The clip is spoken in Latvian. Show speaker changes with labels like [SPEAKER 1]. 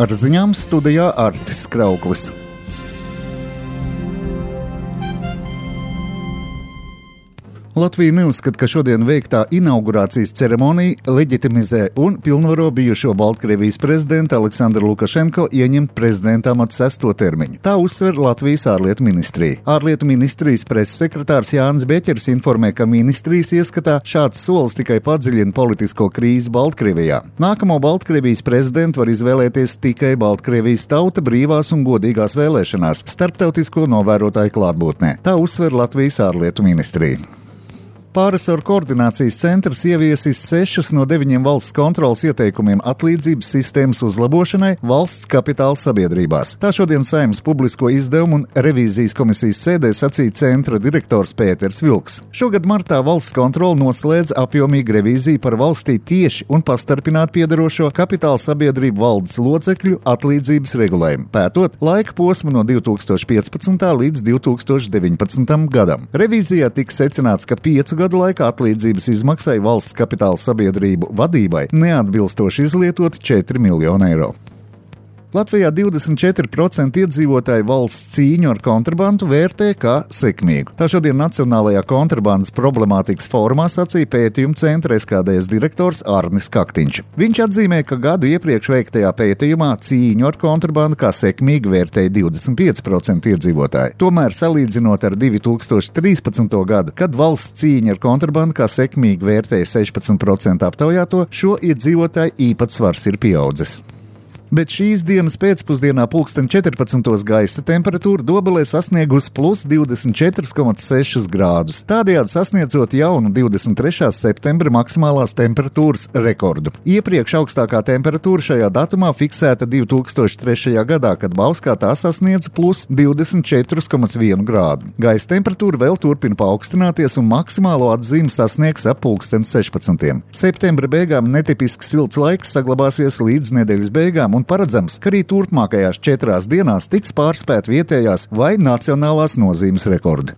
[SPEAKER 1] Ar ziņām studijā Artis Krauklis. Latvija neuzskata, ka šodien veiktā inaugurācijas ceremonija leģitimizē un pilnvaro bijušo Baltkrievijas prezidentu Aleksandru Lukašenko ieņemt prezidenta amata 6. termiņu. Tā uzsver Latvijas ārlietu ministrija. Ārlietu ministrijas preses sekretārs Jānis Beķers informē, ka ministrijas ieskatā šāds solis tikai padziļina politisko krīzi Baltkrievijā. Nākamo Baltkrievijas prezidentu var izvēlēties tikai Baltkrievijas tauta brīvās un godīgās vēlēšanās starptautisko novērotāju klātbūtnē. Tā uzsver Latvijas ārlietu ministrija. Pārresoru koordinācijas centrs ieviesis 6 no 9 valsts kontrolas ieteikumiem atlīdzības sistēmas uzlabošanai valsts kapitāla sabiedrībās. Tā šodien Saeimas publisko izdevumu un revīzijas komisijas sēdē sacīja centra direktors Pēters Vilks. Šogad martā valsts kontrola noslēdz apjomīgu revīziju par valstī tieši un pastarpināti piederošo kapitāla sabiedrību valdes locekļu atlīdzības regulējumu, pētot laika posmu no 2015. līdz 2019. gadam. Revīzijā tika secināts, ka 5 gadu laikā atlīdzības izmaksai valsts kapitāla sabiedrību vadībai neatbilstoši izlietot 4 miljoni eiro. Latvijā 24% iedzīvotāji valsts cīņu ar kontrabandu vērtē kā sekmīgu. Tā šodien Nacionālajā kontrabandas problemātikas fórumā sacīja pētījuma centra SKDS direktors Arnis Kaktiņš. Viņš atzīmē, ka gadu iepriekš veiktajā pētījumā cīņu ar kontrabandu kā sekmīgu vērtēja 25% iedzīvotāji. Tomēr salīdzinot ar 2013. gadu, kad valsts cīņa ar kontrabandu kā sekmīgu vērtēja 16% aptaujāto, šo iedzīvotāju īpatsvars ir pieaudzis. Bet šīs dienas pēcpusdienā pulksten 14. gaisa temperatūra Dobelē sasniegusi plus 24,6 grādus, tādējādi sasniedzot jaunu 23. septembra maksimālās temperatūras rekordu. Iepriekš augstākā temperatūra šajā datumā fiksēta 2003. gadā, kad Bauskā tā sasniedza plus 24,1 grādu. Gaisa temperatūra vēl turpina paaugstināties un maksimālo atzīmi sasniegs ap pulksten 16. Septembra beigām netipiski silts laiks saglabāsies līdz nedēļas beigām un paredzams, ka arī turpmākajās 4 dienās tiks pārspēt vietējās vai nacionālās nozīmes rekordi.